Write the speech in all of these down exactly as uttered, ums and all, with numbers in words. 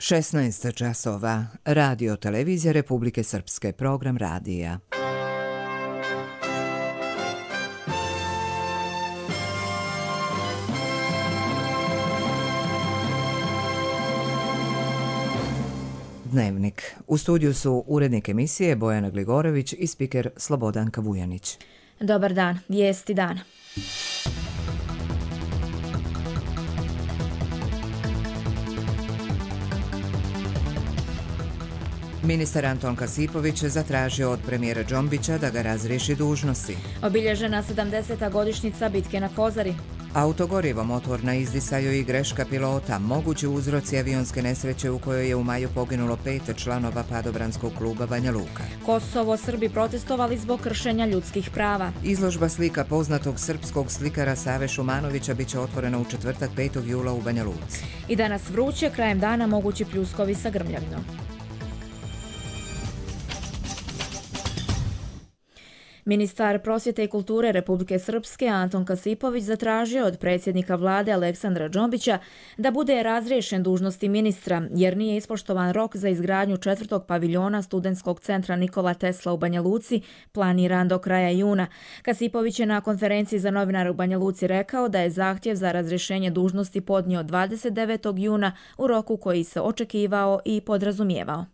šesnaest časova. Radio televizija Republike Srpske, program radija. Dnevnik. U studiju su urednik emisije Bojana Gligorović i spiker Slobodanka Vujanić. Dobar dan, vijesti dana. Ministar Anton Kasipović zatražio od premijera Džombića da ga razriješi dužnosti. Obilježena sedamdeseta godišnjica bitke na Kozari. Autogorivo motor na izdisaju i greška pilota, mogući uzroci avionske nesreće u kojoj je u maju poginulo pet članova padobranskog kluba Banja Luka. Kosovo, Srbi protestovali zbog kršenja ljudskih prava. Izložba slika poznatog srpskog slikara Save Šumanovića biće otvorena u četvrtak petog jula u Banja Luci. I danas vruće, krajem dana mogući pljuskovi sa grmljavinom. Ministar prosvjete i kulture Republike Srpske Anton Kasipović zatražio od predsjednika vlade Aleksandra Džombića da bude razriješen dužnosti ministra jer nije ispoštovan rok za izgradnju četvrtog paviljona studentskog centra Nikola Tesla u Banja Luci, planiran do kraja juna. Kasipović je na konferenciji za novinare u Banja Luci rekao da je zahtjev za razrješenje dužnosti podnio dvadeset devetog juna u roku koji se očekivao i podrazumijevao.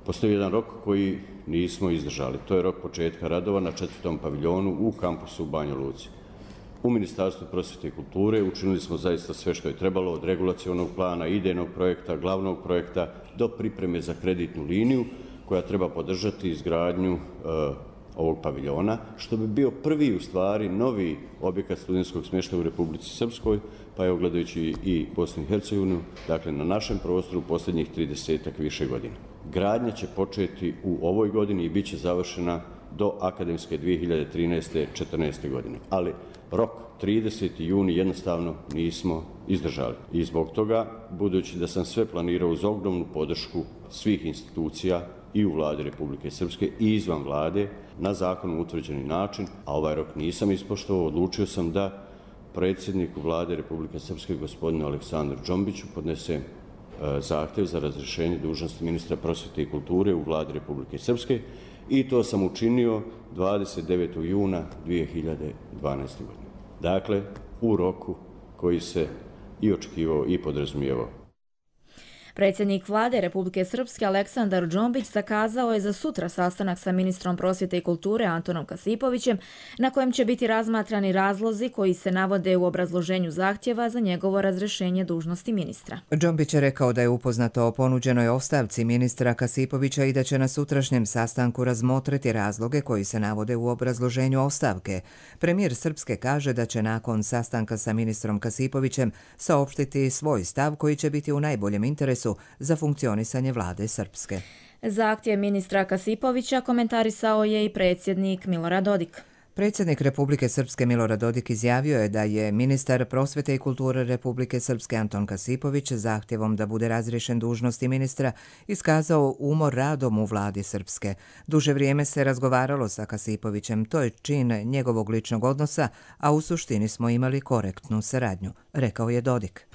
Postoji jedan rok koji nismo izdržali. To je rok početka radova na četvrtom paviljonu u kampusu u Banja Luci. U Ministarstvu prosvjete i kulture učinili smo zaista sve što je trebalo, od regulacionog plana, idejnog projekta, glavnog projekta do pripreme za kreditnu liniju koja treba podržati izgradnju e, ovog paviljona, što bi bio prvi u stvari novi objekat studentskog smještaja u Republici Srpskoj, pa je gledajući i Bosnu i Hercegovinu, dakle na našem prostoru posljednjih tridesetak više godina. Gradnja će početi u ovoj godini i bit će završena do akademske dvije hiljade trinaeste četrnaeste godine. Ali rok trideseti juni jednostavno nismo izdržali. I zbog toga, budući da sam sve planirao uz ogromnu podršku svih institucija i u vladi Republike Srpske i izvan vlade, na zakonom utvrđeni način, a ovaj rok nisam ispoštovao, odlučio sam da predsjedniku vlade Republike Srpske, gospodinu Aleksandru Džombiću, podnese zahtjev za razrješenje dužnosti ministra prosvjete i kulture u vladi Republike Srpske i to sam učinio dvadeset devetog juna dvije hiljade dvanaeste. godine. Dakle, u roku koji se i očekivao i podrazumijevao. Predsjednik vlade Republike Srpske Aleksandar Džombić zakazao je za sutra sastanak sa ministrom prosvjete i kulture Antonom Kasipovićem, na kojem će biti razmatrani razlozi koji se navode u obrazloženju zahtjeva za njegovo razrješenje dužnosti ministra. Džombić je rekao da je upoznato o ponuđenoj ostavci ministra Kasipovića i da će na sutrašnjem sastanku razmotriti razloge koji se navode u obrazloženju ostavke. Premijer Srpske kaže da će nakon sastanka sa ministrom Kasipovićem saopštiti svoj stav koji će biti u najboljem interesu za funkcionisanje vlade Srpske. Zahtjev ministra Kasipovića komentarisao je i predsjednik Milorad Dodik. Predsjednik Republike Srpske Milorad Dodik izjavio je da je ministar prosvjete i kulture Republike Srpske Anton Kasipović zahtjevom da bude razriješen dužnosti ministra iskazao umor radom u vladi Srpske. Duže vrijeme se razgovaralo sa Kasipovićem, to je čin njegovog ličnog odnosa, a u suštini smo imali korektnu saradnju, rekao je Dodik.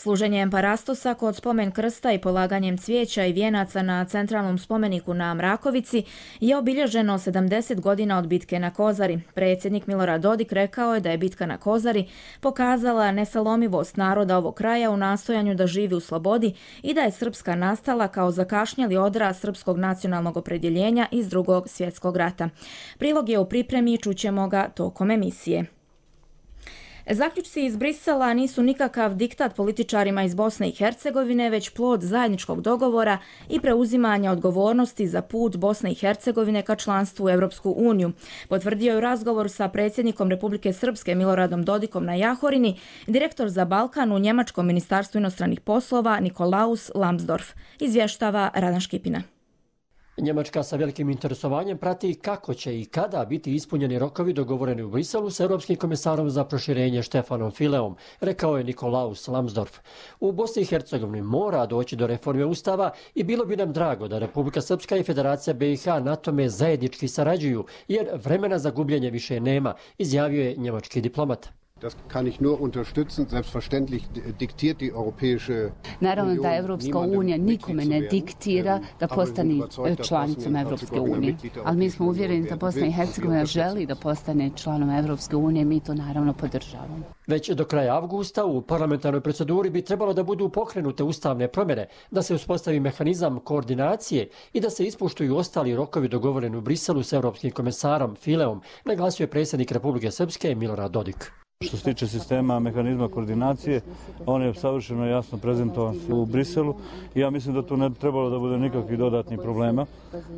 Služenjem parastosa kod spomen krsta i polaganjem cvijeća i vijenaca na centralnom spomeniku na Mrakovici je obilježeno sedamdeset godina od bitke na Kozari. Predsjednik Milorad Dodik rekao je da je bitka na Kozari pokazala nesalomivost naroda ovog kraja u nastojanju da živi u slobodi i da je Srpska nastala kao zakašnjeli odraz srpskog nacionalnog opredjeljenja iz Drugog svjetskog rata. Prilog je u pripremi i čućemo ga tokom emisije. Zaključci iz Brisela nisu nikakav diktat političarima iz Bosne i Hercegovine, već plod zajedničkog dogovora i preuzimanja odgovornosti za put Bosne i Hercegovine ka članstvu u Europsku uniju. Potvrdio je u razgovoru sa predsjednikom Republike Srpske Miloradom Dodikom na Jahorini direktor za Balkan u Njemačkom ministarstvu inostranih poslova Nikolaus Lambsdorff, izvještava Radan Škipina. Njemačka sa velikim interesovanjem prati kako će i kada biti ispunjeni rokovi dogovoreni u Briselu s Europskim komisarom za proširenje Štefanom Fileom, rekao je Nikolaus Lambsdorff. U Bosni i Hercegovini mora doći do reforme Ustava i bilo bi nam drago da Republika Srpska i Federacija B i H na tome zajednički sarađuju, jer vremena za gubljenje više nema, izjavio je njemački diplomat. Das kann ich nur unterstützen. Selbstverständlich diktiert die Europäische Naravno da Evropska unija nikome ne diktira da postane članicom Evropske unije, ali mi smo uvjereni da Bosna i Hercegovina želi da postane članom Evropske unije, mi to naravno podržavamo. Već do kraja avgusta u parlamentarnoj proceduri bi trebalo da budu pokrenute ustavne promjene, da se uspostavi mehanizam koordinacije i da se ispoštuju ostali rokovi dogovoreni u Briselu s Europskim komesarom Fileom, naglasio je predsjednik Republike Srpske Milorad Dodik. Što se tiče sistema mehanizma koordinacije, on je savršeno jasno prezentovan u Briselu i ja mislim da tu ne trebalo da bude nikakvih dodatnih problema.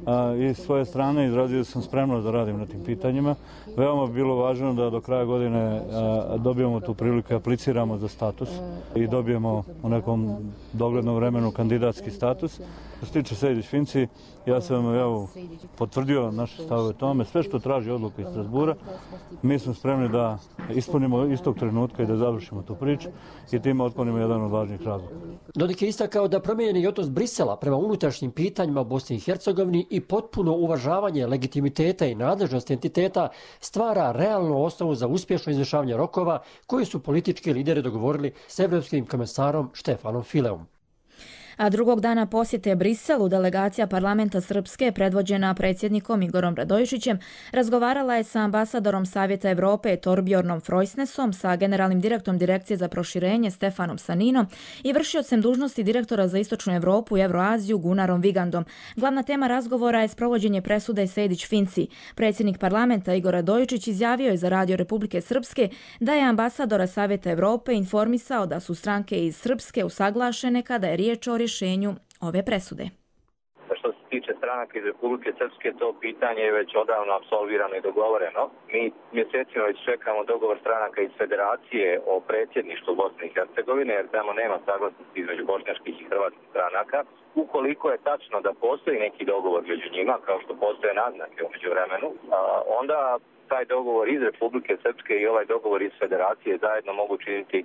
A, i s svoje strane izrazio sam spremnost da radim na tim pitanjima. Veoma bi bilo važno da do kraja godine a, dobijemo tu priliku i apliciramo za status i dobijemo u nekom doglednom vremenu kandidatski status. Što se tiče Sejdić-Finci, ja sam evo, potvrdio naše stavove tome. Sve što traži odluka iz Strasbura, mi smo spremni da ispunimo istog trenutka i da završimo tu priču i time otklonimo jedan od važnijih razloga. Dodik je istakao da promijenjeni odnos Brisela prema unutrašnjim pitanjima u Bosni i Hercegovini i potpuno uvažavanje legitimiteta i nadležnosti entiteta stvara realnu osnovu za uspješno izvršavanje rokova koji su politički lideri dogovorili s Evropskim komesarom Štefanom Fileom. A drugog dana posjete Briselu delegacija parlamenta Srpske predvođena predsjednikom Igorom Radojičićem razgovarala je sa ambasadorom Savjeta Evrope Torbjornom Frojsnesom, sa generalnim direktorom Direkcije za proširenje Stefanom Saninom i vršiocem dužnosti direktora za Istočnu Evropu i Evroaziju Gunarom Vigandom. Glavna tema razgovora je sprovođenje presude Sejdić-Finci. Predsjednik parlamenta Igor Radojičić izjavio je za Radio Republike Srpske da je ambasadora Savjeta Evrope informisao da su stranke iz Srpske usaglašene kada je riječ o rješenju ove presude. Što se tiče stranaka iz Republike Srpske, to pitanje je već odavno apsolvirano i dogovoreno. Mi mjesecima već čekamo dogovor stranaka iz Federacije o predsjedništvu Bosne i Hercegovine, jer tamo nema saglasnosti između bošnjačkih i hrvatskih stranaka. Ukoliko je tačno da postoji neki dogovor među njima, kao što postoje naznake u međuvremenu, onda taj dogovor iz Republike Srpske i ovaj dogovor iz Federacije zajedno mogu činiti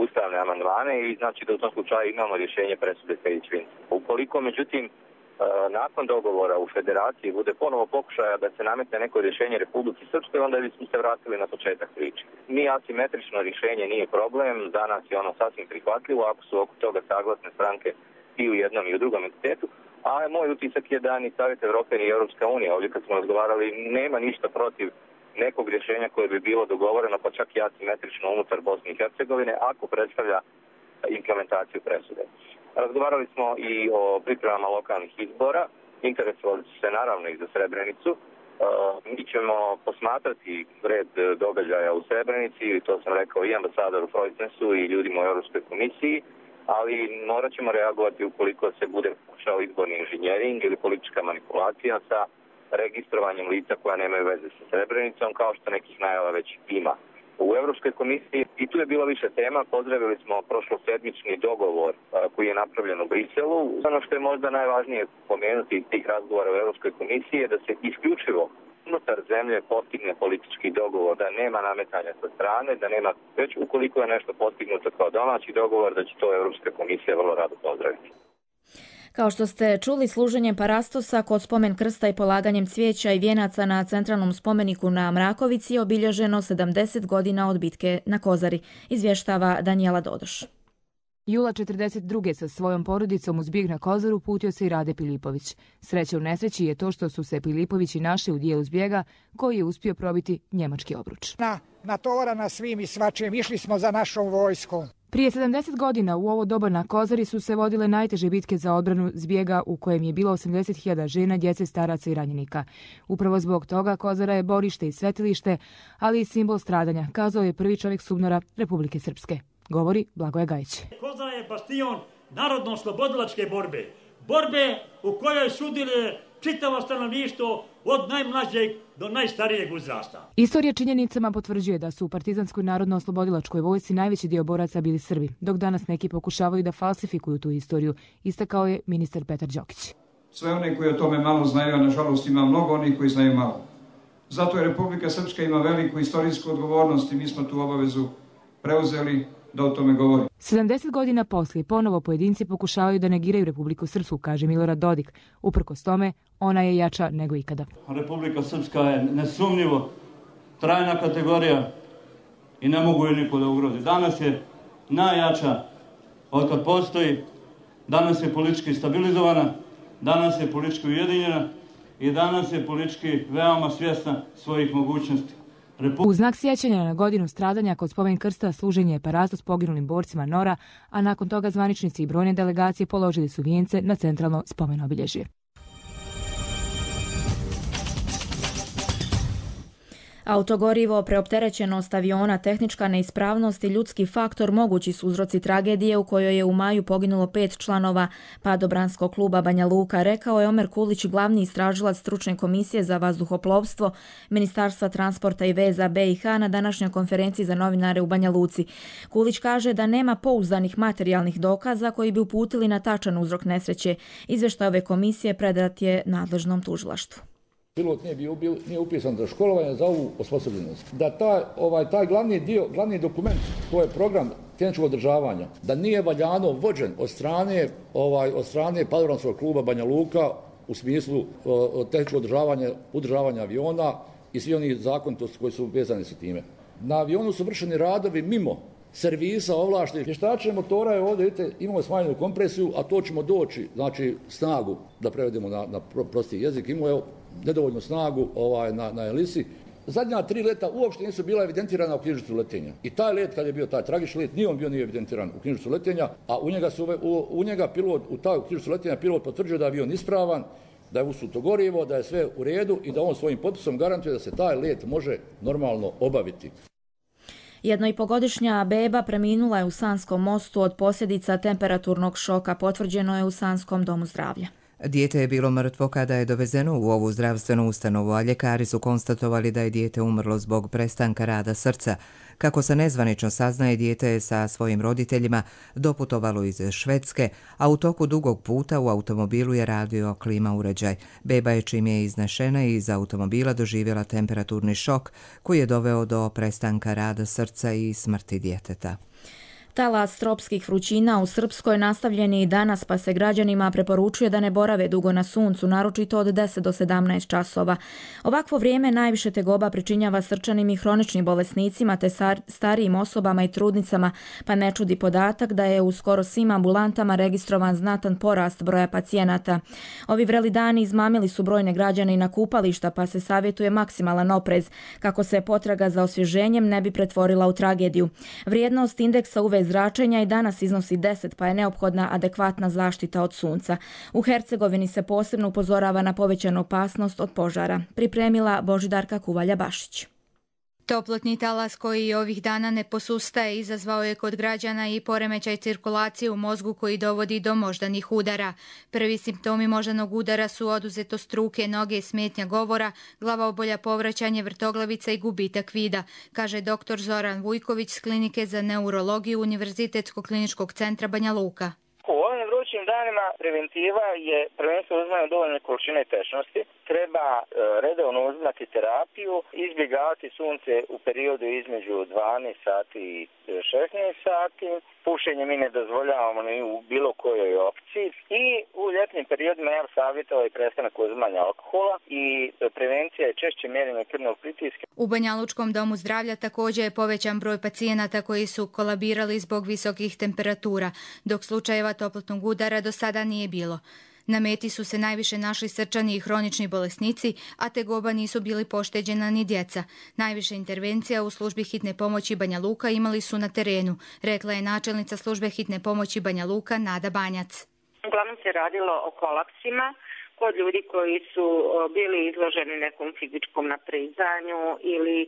ustavne amandmane i znači da u tom slučaju imamo rješenje presude Sejdić-Finci. Ukoliko, međutim, nakon dogovora u Federaciji bude ponovo pokušaja da se nametne neko rješenje Republike Srpske, onda bismo se vratili na početak priče. Ni asimetrično rješenje nije problem, danas je ono sasvim prihvatljivo ako su oko toga saglasne stranke i u jednom i u drugom entitetu, a moj utisak je da ni Savjet Evrope ni Europska unija, ovdje kad smo razgovarali, nema ništa protiv nekog rješenja koje bi bilo dogovoreno, pa čak i asimetrično unutar Bosne i Hercegovine, ako predstavlja implementaciju presude. Razgovarali smo i o pripremama lokalnih izbora, interesovali su se naravno i za Srebrenicu. Mi ćemo posmatrati red događaja u Srebrenici, i to sam rekao i ambasadoru Frojsnesu i ljudima u Europskoj komisiji, ali morat ćemo reagovati ukoliko se bude pokušao izborni inženjering ili politička manipulacija sa registrovanjem lica koja nemaju veze sa Srebrenicom, kao što nekih najava već ima. U Europskoj komisiji i tu je bilo više tema. Pozdravili smo prošlosedmični dogovor koji je napravljen u Briselu. Ono što je možda najvažnije pomenuti iz tih razgovora u Europskoj komisiji je da se isključivo unutar zemlje postigne politički dogovor, da nema nametanja sa strane, da nema, već ukoliko je nešto postignuto kao domaći dogovor, da će to Europska komisija vrlo rado pozdraviti. Kao što ste čuli, služenjem parastosa kod spomen krsta i polaganjem cvijeća i vijenaca na centralnom spomeniku na Mrakovici je obilježeno sedamdeset godina od bitke na Kozari, izvještava Danijela Dodoš. Jula četrdeset druge sa svojom porodicom uz bijeg na Kozaru putio se i Rade Pilipović. Sreća u nesreći je to što su se Pilipovići našli u dijelu zbjega koji je uspio probiti njemački obruč. Na, natovarana svim i svačem, išli smo za našom vojskom. Prije sedamdeset godina u ovo doba na Kozari su se vodile najteže bitke za odbranu zbjega u kojem je bilo osamdeset hiljada žena, djece, staraca i ranjenika. Upravo zbog toga Kozara je borište i svetilište, ali i simbol stradanja, kazao je prvi čovjek SUBNOR-a Republike Srpske. Govori Blagoje Gajić. Kozara je bastion narodno-slobodilačke borbe. Borbe u kojoj sudjeluje čitavo stanovništvo od najmlađeg do najstarijeg uzrasta. Istorija činjenicama potvrđuje da su u partizanskoj narodno-oslobodilačkoj vojsci najveći dio boraca bili Srbi, dok danas neki pokušavaju da falsifikuju tu istoriju, istakao je ministar Petar Đokić. Sve one koji o tome malo znaju, a nažalost ima mnogo onih koji znaju malo. Zato je Republika Srpska ima veliku istorijsku odgovornost i mi smo tu obavezu preuzeli da o tome govori. sedamdeset godina poslije ponovo pojedinci pokušavaju da negiraju Republiku Srpsku, kaže Milorad Dodik. Uprkos tome, ona je jača nego ikada. Republika Srpska je nesumnjivo trajna kategorija i ne mogu je niko da ugrozi. Danas je najjača od kad postoji, danas je politički stabilizovana, danas je politički ujedinjena i danas je politički veoma svjesna svojih mogućnosti. Repu... U znak sjećanja na godinu stradanja kod spomen krsta služen je parastos poginulim borcima Nora, a nakon toga zvaničnici i brojne delegacije položili su vijence na centralno spomen obilježje. Autogorivo, preopterećenost aviona, tehnička neispravnost i ljudski faktor mogući su uzroci tragedije u kojoj je u maju poginulo pet članova padobranskog kluba Banja Luka, rekao je Omer Kulić, glavni istražilac stručne komisije za vazduhoplovstvo Ministarstva transporta i veza B i H na današnjoj konferenciji za novinare u Banja Luci. Kulić kaže da nema pouzdanih materijalnih dokaza koji bi uputili na tačan uzrok nesreće. Izvještaj ove komisije predat je nadležnom tužilaštvu. Pilot nije, bio, nije upisan za školovanje, za ovu osposobljenost. Da taj, ovaj, taj glavni dio, glavni dokument, to je program tehničkog održavanja, da nije valjano vođen od strane, ovaj, od strane padobranskog kluba Banja Luka u smislu o, tehničkog održavanja, održavanja aviona i svi oni zakonitosti koji su vezani sa time. Na avionu su vršeni radovi mimo servisa ovlaštenih. Vještačenje motora je ovdje, vidite, imamo smanjenu kompresiju, a to ćemo doći, znači snagu, da prevedemo na, na prosti jezik, imamo je nedovoljnu snagu ovaj, na, na elisi. Zadnja tri leta uopšte nisu bila evidentirana u knjižicu letenja. I taj let, kad je bio taj tragični let, nije on bio nije evidentiran u knjižicu letenja, a u njega, su, u, u njega pilot, u taj knjižicu letenja pilot potvrđuje da je avion ispravan, da je usuto gorivo, da je sve u redu i da on svojim potpisom garantuje da se taj let može normalno obaviti. Jedno i pogodišnja beba preminula je u Sanskom mostu od posljedica temperaturnog šoka, potvrđeno je u Sanskom domu zdravlja. Dijete je bilo mrtvo kada je dovezeno u ovu zdravstvenu ustanovu, a ljekari su konstatovali da je dijete umrlo zbog prestanka rada srca. Kako se nezvanično saznaje, dijete je sa svojim roditeljima doputovalo iz Švedske, a u toku dugog puta u automobilu je radio klima uređaj. Beba je čim je iznešena iz automobila doživjela temperaturni šok koji je doveo do prestanka rada srca i smrti djeteta. Talas tropskih vrućina u Srpskoj nastavljen je i danas, pa se građanima preporučuje da ne borave dugo na suncu, naročito od deset do sedamnaest časova. Ovakvo vrijeme najviše tegoba pričinjava srčanim i hroničnim bolesnicima te starijim osobama i trudnicama, pa ne čudi podatak da je u skoro svim ambulantama registrovan znatan porast broja pacijenata. Ovi vreli dani izmamili su brojne građane i na kupališta, pa se savjetuje maksimalan oprez, kako se potraga za osvježenjem ne bi pretvorila u tragediju. Vrijednost indeksa U V zračenja i danas iznosi deset, pa je neophodna adekvatna zaštita od sunca. U Hercegovini se posebno upozorava na povećanu opasnost od požara. Pripremila Božidarka Kuvalja-Bašić. Toplotni talas koji ovih dana ne posustaje izazvao je kod građana i poremećaj cirkulacije u mozgu koji dovodi do moždanih udara. Prvi simptomi moždanog udara su oduzetost ruke, noge, smetnja govora, glavobolja, povraćanje, vrtoglavica i gubitak vida, kaže doktor Zoran Vujković s Klinike za neurologiju Univerzitetskog kliničkog centra Banja Luka. U ovim vrućim danima preventiva je prvenstveno uzimanje dovoljne količine tečnosti, treba e, redovno uzimati terapiju, izbjegavati sunce u periodu između dvanaest sati i šesnaest sati, pušenje mi ne dozvoljavamo ni u bilo kojoj opciji i u ljetnim periodima ja savjetovao i prestanak uzimanja alkohola i prevencija je češće mjerenje krvnog pritiska. U Banja Lučkom domu zdravlja također je povećan broj pacijenata koji su kolabirali zbog visokih temperatura, dok slučajeva toplotnog udara do sada nije bilo. Na meti su se najviše našli srčani i hronični bolesnici, a tegoba nisu bili pošteđena ni djeca. Najviše intervencija u službi hitne pomoći Banja Luka imali su na terenu, rekla je načelnica službe hitne pomoći Banja Luka Nada Banjac. Uglavnom se radilo o kolapsima kod ljudi koji su bili izloženi nekom fizičkom naprizanju ili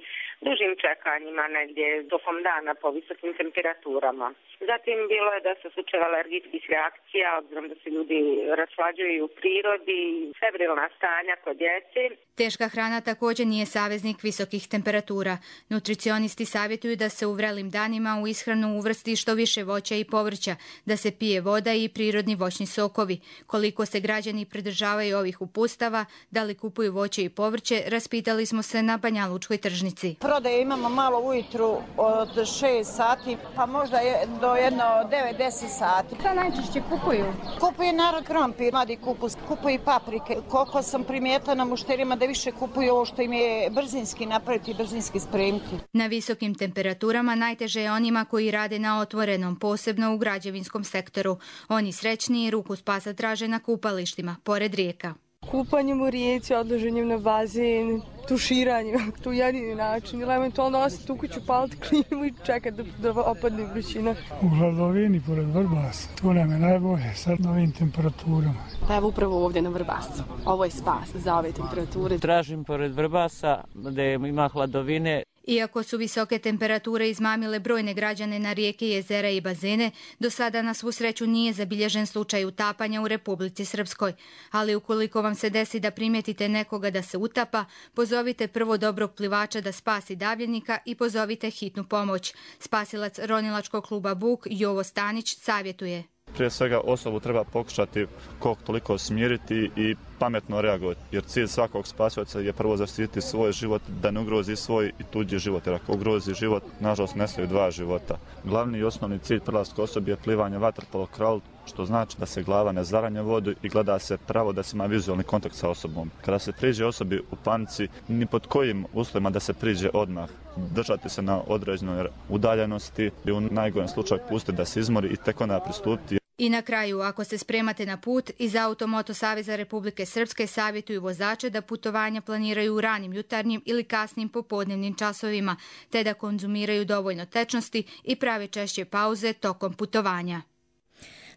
dužim čekanjima negdje tokom dana po visokim temperaturama. Zatim bilo je da se slučajeva alergijskih reakcija, obzirom da se ljudi raslađuju u prirodi, febrilna stanja kod djece. Teška hrana također nije saveznik visokih temperatura. Nutricionisti savjetuju da se u vrelim danima u ishranu uvrsti što više voća i povrća, da se pije voda i prirodni voćni sokovi. Koliko se građani pridržavaju ovih upustava, da li kupuju voće i povrće, raspitali smo se na Banja Lučkoj tržnici. prodaje imamo malo ujutru od šest sati, pa možda je do jedno devet deset sati. Šta najčešće kupuju? Kupuje narod krompir, mladi kupus, kupuju paprike. Koliko sam primijetila na mušterima da više kupuju ovo što im je brzinski napraviti i brzinski spremiti. Na visokim temperaturama najteže je onima koji rade na otvorenom, posebno u građevinskom sektoru. Oni srećniji ruku spasa traže na kupalištima, pored rijeka. Kupanjem u rijeci, odloženjem na bazen, tuširanjem, to je jedini način. Ili eventualno ostati u kuću, paliti klimu i čekati da, da opadne vrućina. U hladovini pored Vrbasa, to nam je najbolje sad na ovim temperaturama. Pa evo upravo ovdje na Vrbasu. Ovo je spas za ove temperature. Tražim pored Vrbasa gdje ima hladovine. Iako su visoke temperature izmamile brojne građane na rijeke, jezera i bazene, do sada na svu sreću nije zabilježen slučaj utapanja u Republici Srpskoj. Ali ukoliko vam se desi da primijetite nekoga da se utapa, pozovite prvo dobrog plivača da spasi davljenika i pozovite hitnu pomoć. Spasilac ronilačkog kluba Buk Jovo Stanić savjetuje. Prije svega osobu treba pokušati koliko toliko smiriti i pametno reagovati, jer cilj svakog spasioca je prvo zaštititi svoj život, da ne ugrozi svoj i tuđi život, jer ako ugrozi život, nažalost nestaju dva života. Glavni i osnovni cilj prelaska osobe je plivanje vaterpolo kraul, što znači da se glava ne zaranja vodu i gleda se pravo da se ima vizualni kontakt sa osobom. Kada se priđe osobi u panici, ni pod kojim uslovima da se priđe odmah. Držati se na određenoj udaljenosti i u najgorem slučaju pustiti da se izmori i tek onda pristupiti. I na kraju, ako se spremate na put, iz Automoto Saveza Republike Srpske savjetuju vozače da putovanja planiraju u ranim jutarnjim ili kasnim popodnevnim časovima, te da konzumiraju dovoljno tečnosti i prave češće pauze tokom putovanja.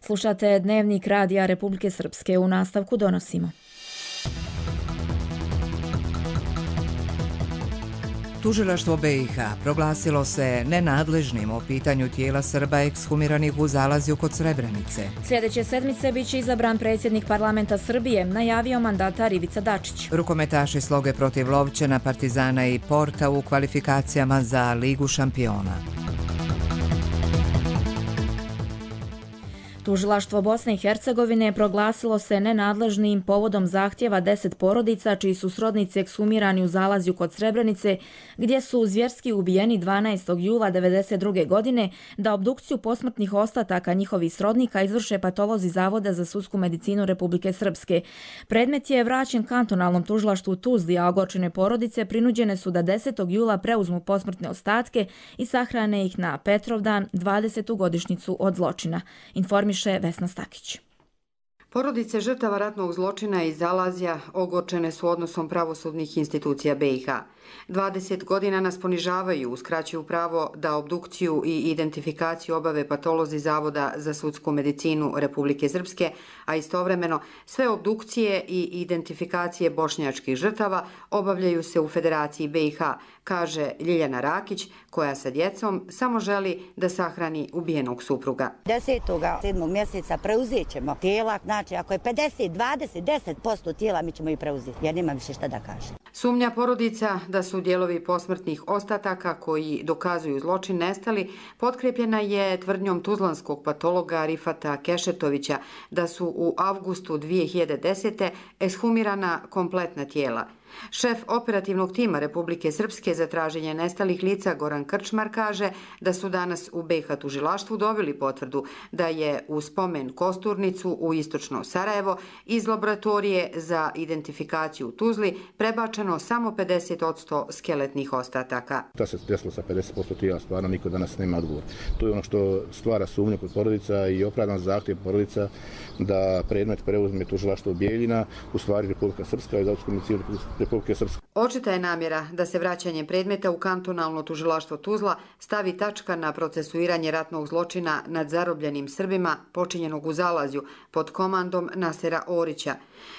Slušate Dnevnik Radija Republike Srpske. U nastavku donosimo. Tužilaštvo B i H proglasilo se nenadležnim o pitanju tijela Srba ekshumiranih u Zalazju kod Srebrenice. Sljedeće sedmice biće izabran predsjednik parlamenta Srbije, najavio mandatar Ivica Dačić. Rukometaši sloge protiv Lovćena, Partizana i Porta u kvalifikacijama za Ligu šampiona. Tužilaštvo Bosne i Hercegovine proglasilo se nenadležnim povodom zahtjeva deset porodica čiji su srodnici ekshumirani u Zalazju kod Srebrenice, gdje su zvjerski ubijeni dvanaestog jula devedeset druge. godine, da obdukciju posmrtnih ostataka njihovih srodnika izvrše patolozi Zavoda za sudsku medicinu Republike Srpske. Predmet je vraćen kantonalnom tužilaštvu u Tuzli, a ogorčene porodice prinuđene su da desetog jula preuzmu posmrtne ostatke i sahrane ih na Petrovdan, dvadesetu godišnjicu od zločina. Informiše Vesna Stakić. Porodice žrtava ratnog zločina iz Zalazja ogorčene su odnosom pravosudnih institucija B i H. dvadeset godina nas ponižavaju, uskraćuju pravo da obdukciju i identifikaciju obave patolozi Zavoda za sudsku medicinu Republike Srpske, a istovremeno sve obdukcije i identifikacije bošnjačkih žrtava obavljaju se u Federaciji B i H, kaže Ljiljana Rakić, koja sa djecom samo želi da sahrani ubijenog supruga. desetog sedmog mjeseca preuzet ćemo tijela, znači ako je pedeset, dvadeset, deset posto tijela mi ćemo i preuzeti, jer nema više šta da kaže. Sumnja porodica da su dijelovi posmrtnih ostataka koji dokazuju zločin nestali potkrepljena je tvrdnjom tuzlanskog patologa Rifata Kešetovića da su u avgustu dvije hiljade desete. ekshumirana kompletna tijela. Šef operativnog tima Republike Srpske za traženje nestalih lica Goran Krčmar kaže da su danas u B i H tužilaštvu dobili potvrdu da je u spomen Kosturnicu u istočno Sarajevo iz laboratorije za identifikaciju u Tuzli prebačeno samo pedeset posto skeletnih ostataka. Da se desilo sa pedeset posto tijela, stvarno niko danas nema odgovor. To je ono što stvara sumnju kod porodica i opravdan zahtjev porodica da predmet preuzme tužilaštvo Bijeljina, u stvari Republika Srpska i Zavodsku medicinu Republike Srpske. Očita je namjera da se vraćanjem predmeta u kantonalno tužilaštvo Tuzla stavi tačka na procesuiranje ratnog zločina nad zarobljenim Srbima počinjenog u Zalazju pod komandom Nasera Orića.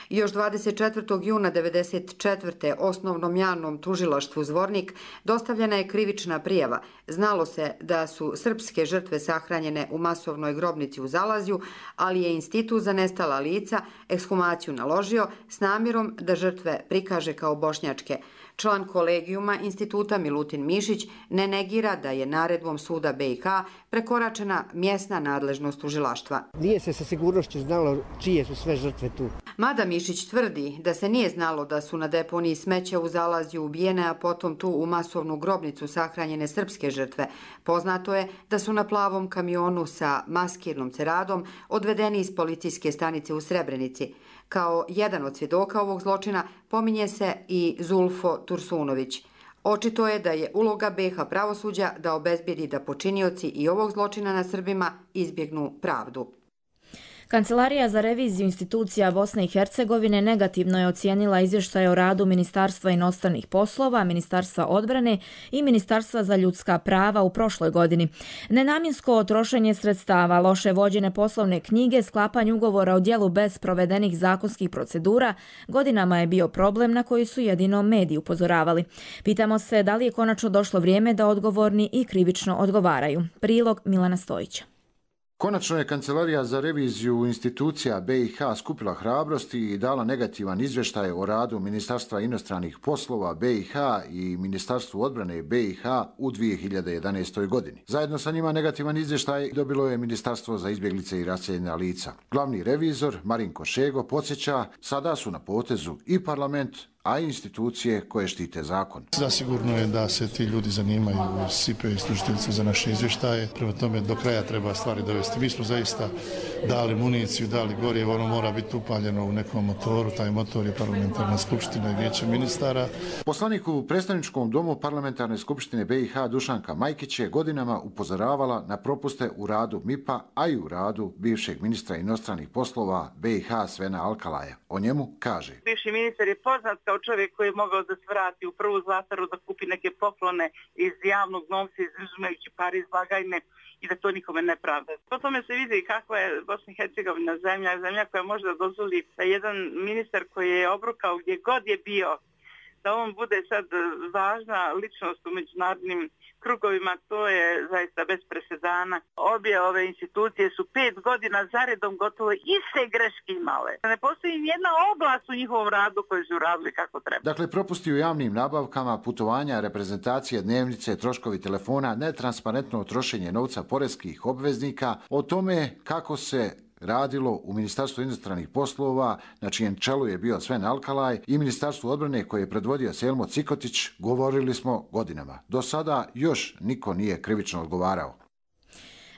Još dvadeset četvrtog juna devedeset četvrte. osnovnom javnom tužilaštvu Zvornik dostavljena je krivična prijava. Znalo se da su srpske žrtve sahranjene u masovnoj grobnici u Zalazju, ali je Institut za nestala lica ekshumaciju naložio s namjerom da žrtve prikaže kao bošnjačke. Član kolegijuma instituta Milutin Mišić ne negira da je naredbom suda B i H prekoračena mjesna nadležnost tužilaštva. Nije se sa sigurnošću znalo čije su sve žrtve tu. Mada Mišić tvrdi da se nije znalo da su na deponiji smeća u Zalazju ubijene, a potom tu u masovnu grobnicu sahranjene srpske žrtve. Poznato je da su na plavom kamionu sa maskirnom ceradom odvedeni iz policijske stanice u Srebrenici. Kao jedan od svjedoka ovog zločina pominje se i Zulfo Tursunović. Očito je da je uloga B i H pravosuđa da obezbijedi da počinioci i ovog zločina na Srbima izbjegnu pravdu. Kancelarija za reviziju institucija Bosne i Hercegovine negativno je ocijenila izvještaje o radu Ministarstva inostranih poslova, Ministarstva odbrane i Ministarstva za ljudska prava u prošloj godini. Nenamjensko trošenje sredstava, loše vođene poslovne knjige, sklapanje ugovora o djelu bez provedenih zakonskih procedura godinama je bio problem na koji su jedino mediji upozoravali. Pitamo se da li je konačno došlo vrijeme da odgovorni i krivično odgovaraju. Prilog Milana Stojića. Konačno je Kancelarija za reviziju institucija B i H skupila hrabrosti i dala negativan izvještaj o radu Ministarstva inostranih poslova B i H i Ministarstvu odbrane B i H u dvije hiljade jedanaestoj. godini. Zajedno sa njima negativan izvještaj dobilo je Ministarstvo za izbjeglice i raseljena lica. Glavni revizor Marinko Šego podsjeća, sada su na potezu i parlament, a i institucije koje štite zakon. Zasigurno je da se ti ljudi zanimaju S I P i služiteljice za naše izvještaje. Prema tome do kraja treba stvari dovesti. Mi smo zaista dali municiju, dali gorijevo, ono mora biti upaljeno u nekom motoru. Taj motor je parlamentarna skupština i vijeće ministara. Poslanik u predstavničkom domu parlamentarne skupštine B i H Dušanka Majkić je godinama upozoravala na propuste u radu M I P-a, a i u radu bivšeg ministra inostranih poslova B i H Svena Alkalaja. O njemu kaže: Bivši ministar je poznat kao čovjek koji je mogao da se vrati u prvu Zlataru da kupi neke poklone iz javnog novca, izuzimajući pare iz blagajne i da to nikome ne pravda. Po tome se vidi kakva je Bosna i Hercegovina zemlja, zemlja koja može da dozvoli da jedan ministar koji je obrukao gdje god je bio, da on bude sad važna ličnost u međunarodnim krugovima, to je zaista bez presedana. Obje ove institucije su pet godina zaredom gotovo iste greške imale. Ne postoji nijedna oblast u njihovom radu koju su radili kako treba. Dakle, propusti u javnim nabavkama, putovanja, reprezentacije, dnevnice, troškovi telefona, netransparentno trošenje novca poreskih obveznika, o tome kako se radilo u Ministarstvu inostranih poslova, na čijem čelu je bio Sven Alkalaj, i Ministarstvu odbrane koje je predvodio Selmo Cikotić, govorili smo godinama. Do sada još niko nije krivično odgovarao.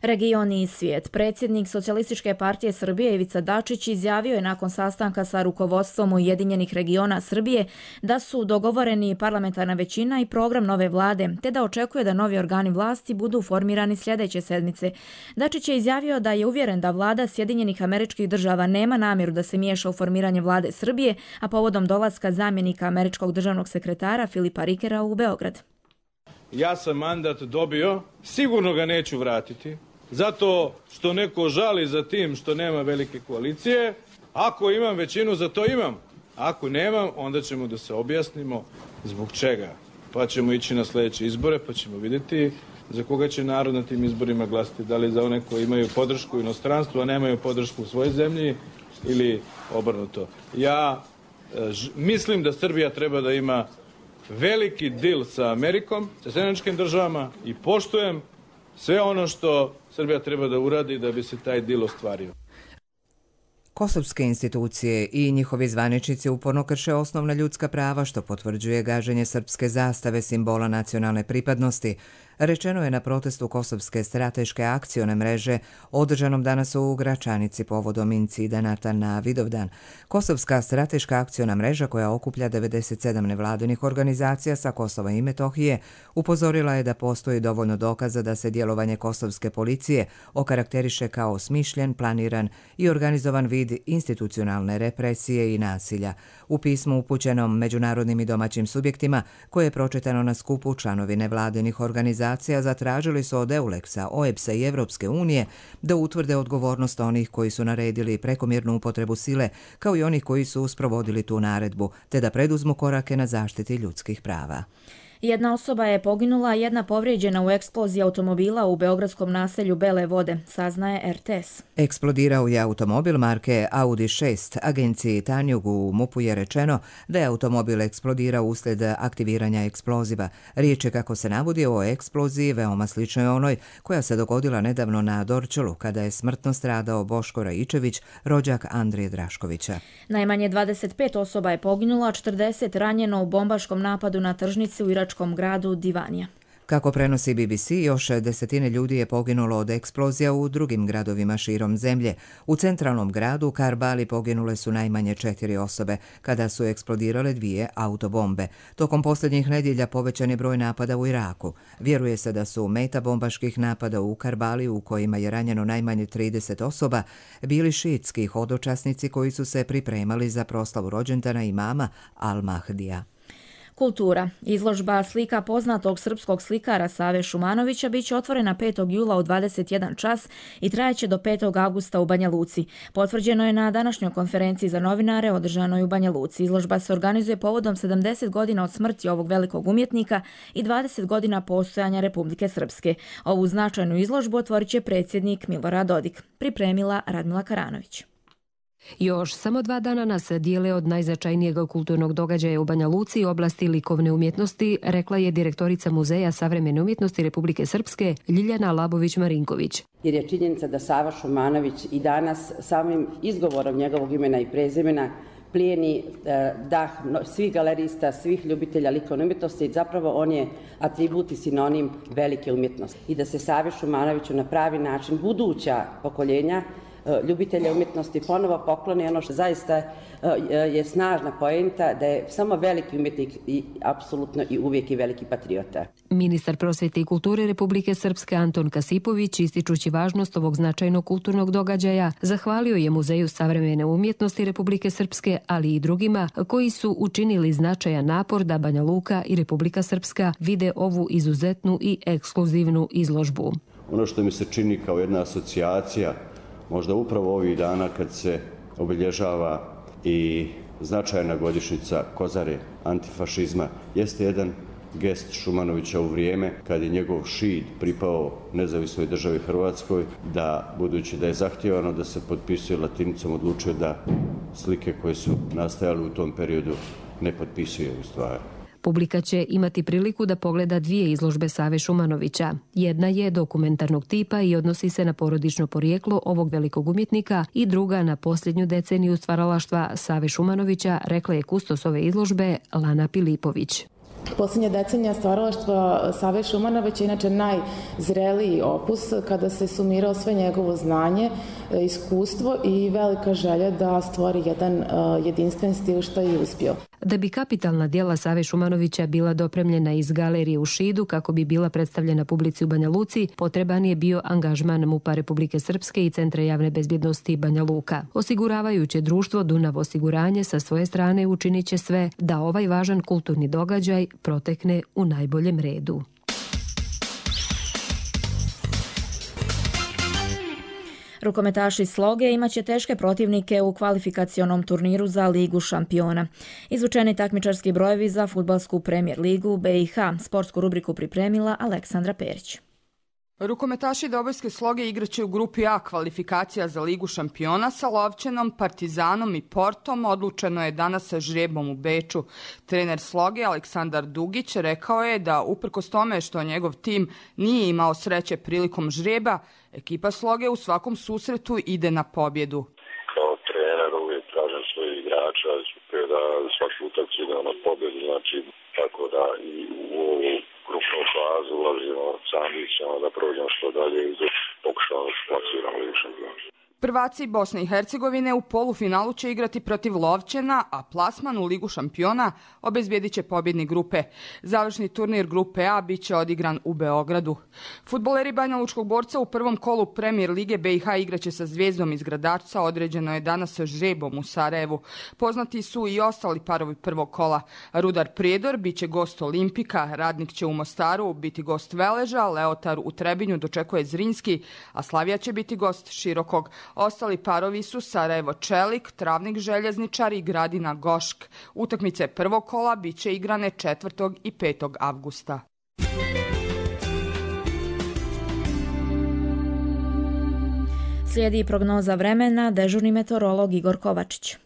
Regioni i svijet. Predsjednik Socijalističke partije Srbije Ivica Dačić izjavio je nakon sastanka sa rukovodstvom Ujedinjenih regiona Srbije da su dogovoreni parlamentarna većina i program nove vlade, te da očekuje da novi organi vlasti budu formirani sljedeće sedmice. Dačić je izjavio da je uvjeren da vlada Sjedinjenih Američkih Država nema namjeru da se miješa u formiranje vlade Srbije, a povodom dolaska zamjenika američkog državnog sekretara Filipa Rikera u Beograd. Ja sam mandat dobio, sigurno ga neću vratiti. Zato što neko žali za tim što nema velike koalicije. Ako imam većinu, za to imam. Ako nemam, onda ćemo da se objasnimo zbog čega. Pa ćemo ići na sljedeće izbore, pa ćemo vidjeti za koga će narod na tim izborima glasiti. Da li za one koji imaju podršku u inostranstvu, a nemaju podršku u svojoj zemlji, ili obrnuto. Ja ž, mislim da Srbija treba da ima veliki dil sa Amerikom, sa Sjedinjenim Državama, i poštujem sve ono što Srbija treba da uradi da bi se taj dil ostvario. Kosovske institucije i njihovi zvaničnici uporno krše osnovna ljudska prava, što potvrđuje gaženje srpske zastave, simbola nacionalne pripadnosti. Rečeno je na protestu Kosovske strateške akcione mreže održanom danas u Gračanici povodom incidenata na Vidovdan. Kosovska strateška akciona mreža, koja okuplja devedeset sedam nevladinih organizacija sa Kosova i Metohije, upozorila je da postoji dovoljno dokaza da se djelovanje kosovske policije okarakteriše kao smišljen, planiran i organizovan vid institucionalne represije i nasilja. U pismu upućenom međunarodnim i domaćim subjektima, koje je pročitano na skupu, članovi nevladinih organizacija zatražili su od Euleksa, O E B S-a i Evropske unije da utvrde odgovornost onih koji su naredili prekomjernu upotrebu sile, kao i onih koji su sprovodili tu naredbu, te da preduzmu korake na zaštiti ljudskih prava. Jedna osoba je poginula, a jedna povrijeđena u eksploziji automobila u beogradskom naselju Bele Vode, saznaje er te es. Eksplodirao je automobil marke Audi šest. Agenciji Tanjug u MUP-u je rečeno da je automobil eksplodirao uslijed aktiviranja eksploziva. Riječ je, kako se navodi, o eksploziji veoma sličnoj onoj koja se dogodila nedavno na Dorćolu, kada je smrtno stradao Boško Raičević, rođak Andrije Draškovića. Najmanje dvadeset pet osoba je poginulo, a četrdeset ranjeno u bombaškom napadu na tržnici u iračkom gradu Divanija. Kako prenosi be be ce, još desetine ljudi je poginulo od eksplozija u drugim gradovima širom zemlje. U centralnom gradu Karbali poginule su najmanje četiri osobe, kada su eksplodirale dvije autobombe. Tokom posljednjih nedjelja povećan je broj napada u Iraku. Vjeruje se da su meta bombaških napada u Karbali, u kojima je ranjeno najmanje trideset osoba, bili šiitski hodočasnici koji su se pripremali za proslavu rođendana imama Al-Mahdija. Kultura. Izložba slika poznatog srpskog slikara Save Šumanovića bit će otvorena petog jula u dvadeset jedan čas i trajeće do petog avgusta u Banja Luci. Potvrđeno je na današnjoj konferenciji za novinare održanoj u Banja Luci. Izložba se organizuje povodom sedamdeset godina od smrti ovog velikog umjetnika i dvadeset godina postojanja Republike Srpske. Ovu značajnu izložbu otvorit će predsjednik Milorad Dodik. Pripremila Radmila Karanović. Još samo dva dana nas dijele od najznačajnijeg kulturnog događaja u Banja Luci, oblasti likovne umjetnosti, rekla je direktorica Muzeja savremene umjetnosti Republike Srpske Ljiljana Labović-Marinković. Jer je činjenica da Sava Šumanović i danas samim izgovorom njegovog imena i prezimena plijeni dah svih galerista, svih ljubitelja likovne umjetnosti i zapravo on je atribut i sinonim velike umjetnosti. I da se Savi Šumanoviću na pravi način buduća pokoljenja ljubitelja umjetnosti ponovo pokloni ono što zaista je snažna poenta, da je samo veliki umjetnik i apsolutno i uvijek i veliki patriota. Ministar prosvjete i kulture Republike Srpske Anton Kasipović, ističući važnost ovog značajnog kulturnog događaja, zahvalio je Muzeju savremene umjetnosti Republike Srpske, ali i drugima koji su učinili značajan napor da Banja Luka i Republika Srpska vide ovu izuzetnu i ekskluzivnu izložbu. Ono što mi se čini kao jedna asocijacija, možda upravo ovih dana kad se obilježava i značajna godišnjica Kozare antifašizma, jeste jedan gest Šumanovića u vrijeme kad je njegov šid pripao nezavisnoj državi Hrvatskoj, da budući da je zahtijevano da se potpisuje latinicom, odlučio da slike koje su nastajale u tom periodu ne potpisuje u stvari. Publika će imati priliku da pogleda dvije izložbe Save Šumanovića. Jedna je dokumentarnog tipa i odnosi se na porodično porijeklo ovog velikog umjetnika i druga na posljednju deceniju stvaralaštva Save Šumanovića, rekla je kustos ove izložbe Lana Pilipović. Posljednja decenija stvaralaštva Save Šumanovića je inače najzreliji opus kada se sumirao sve njegovo znanje, iskustvo i velika želja da stvori jedan jedinstven stil, što je i uspio. Da bi kapitalna djela Save Šumanovića bila dopremljena iz galerije u Šidu kako bi bila predstavljena publici u Banja Luci, potreban je bio angažman MUP-a Republike Srpske i Centra javne bezbjednosti Banja Luka. Osiguravajuće društvo Dunav osiguranje sa svoje strane učinit će sve da ovaj važan kulturni događaj protekne u najboljem redu. Rukometaši Sloge imaće teške protivnike u kvalifikacionom turniru za Ligu šampiona. Izvučeni takmičarski brojevi za fudbalsku Premier ligu be i ha. Sportsku rubriku pripremila Aleksandra Perić. Rukometaši Dobojske Sloge igraće u grupi A kvalifikacija za Ligu šampiona sa Lovćenom, Partizanom i Portom. Odlučeno je danas sa žrebom u Beču. Trener Sloge Aleksandar Dugić rekao je da uprkos tome što njegov tim nije imao sreće prilikom žreba, ekipa Sloge u svakom susretu ide na pobjedu. Kao trener uvijek tražim svoje igrača da svaku utakmicu ide na pobjedu, znači tako da i u ovu grupnu fazu ulazimo sa ambicijama da prođemo što dalje i da pokušamo da se plasiramo Ligu šampiona. Prvaci Bosne i Hercegovine u polufinalu će igrati protiv Lovćena, a plasman u Ligu šampiona obezbijedit će pobjednik grupe. Završni turnir grupe A bit će odigran u Beogradu. Fudbaleri Banjalučkog Borca u prvom kolu Premier lige be i ha igraće sa Zvijezdom iz Gradarca, određeno je danas sa žrebom u Sarajevu. Poznati su i ostali parovi prvog kola. Rudar Prijedor bit će gost Olimpika, Radnik će u Mostaru biti gost Veleža, Leotar u Trebinju dočekuje Zrinski, a Slavija će biti gost Širokog. Ostali parovi su Sarajevo Čelik, Travnik Željezničar i Gradina Gošk. Utakmice prvog kola biće igrane četvrtog i petog avgusta. Slijedi prognoza vremena, dežurni meteorolog Igor Kovačić.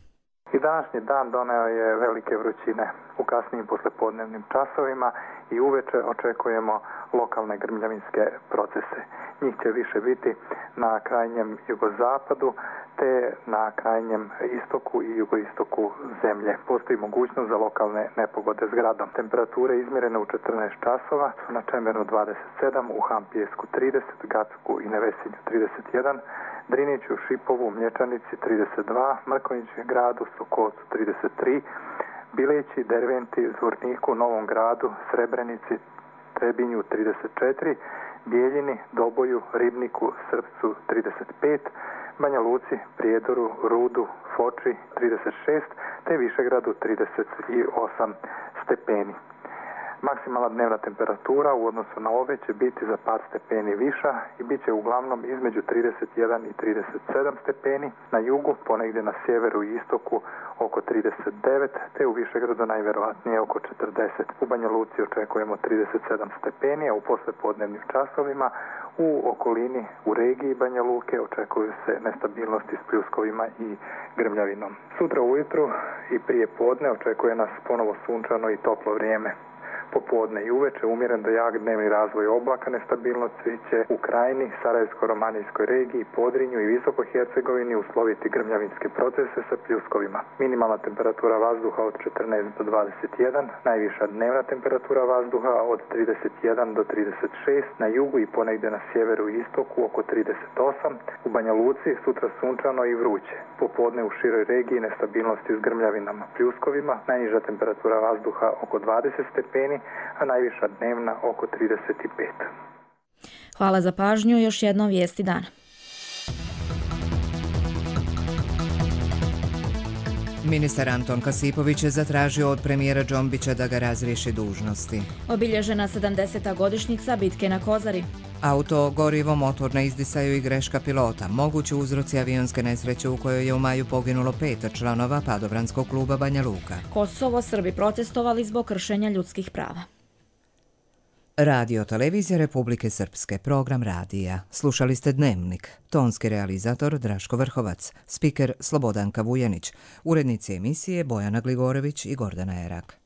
I današnji dan doneo je velike vrućine u kasnijim poslepodnevnim časovima i uveče očekujemo lokalne grmljavinske procese. Njih će više biti na krajnjem jugozapadu te na krajnjem istoku i jugoistoku zemlje. Postoji mogućnost za lokalne nepogode s gradom. Temperature izmjerene u četrnaest časova su na Čemernu dvadeset sedam, u Hampijesku trideset, Gacku i Nevesinju trideset jedan, Driniću, Šipovu, Mlječanici trideset dva, Mrkonjiću gradu, Sokolcu trideset tri, Bileći, Derventi, Zvorniku, Novom gradu, Srebrenici, Trebinju trideset četiri, Bijeljini, Doboju, Ribniku, Srpcu trideset pet, Banja Luci, Prijedoru, Rudu, Foči trideset šest te Višegradu trideset osam stepeni. Maksimalna dnevna temperatura u odnosu na ove će biti za par stepeni viša i bit će uglavnom između trideset jedan i trideset sedam stepeni, na jugu, ponegdje na sjeveru i istoku oko trideset devet, te u Višegradu najvjerojatnije oko četrdeset. U Banja Luci očekujemo trideset sedam stepeni, a u poslijepodnevnim časovima u okolini u regiji Banja Luke očekuju se nestabilnosti s pljuskovima i grmljavinom. Sutra ujutru i prije podne očekuje nas ponovo sunčano i toplo vrijeme. Popodne i uveče umjeren do jak dnevni razvoj oblaka, nestabilnosti će u Krajini, Sarajevsko-romanijskoj regiji, Podrinju i Visoko-Hercegovini usloviti grmljavinske procese sa pljuskovima. Minimalna temperatura vazduha od četrnaest do dvadeset jedan, najviša dnevna temperatura vazduha od trideset jedan do trideset šest, na jugu i ponegdje na sjeveru i istoku oko trideset osam, u Banja Luci sutra sunčano i vruće. Popodne u široj regiji nestabilnosti s grmljavinama, pljuskovima, najniža temperatura vazduha oko dvadeset stepeni, a najviša dnevna oko trideset pet. Hvala za pažnju, još jednom vijesti dana. Ministar Anton Kasipović je zatražio od premijera Džombića da ga razriješi dužnosti. Obilježena sedamdeseta godišnjica bitke na Kozari. Auto, gorivo, motor na izdisaju i greška pilota. Mogući uzroci avionske nesreće u kojoj je u maju poginulo pet članova padobranskog kluba Banja Luka. Kosovo, Srbi protestovali zbog kršenja ljudskih prava. Radio Televizija Republike Srpske, program radija. Slušali ste Dnevnik. Tonski realizator Draško Vrhovac, spiker Slobodanka Vujanić, urednici emisije Bojana Gligorović i Gordana Erak.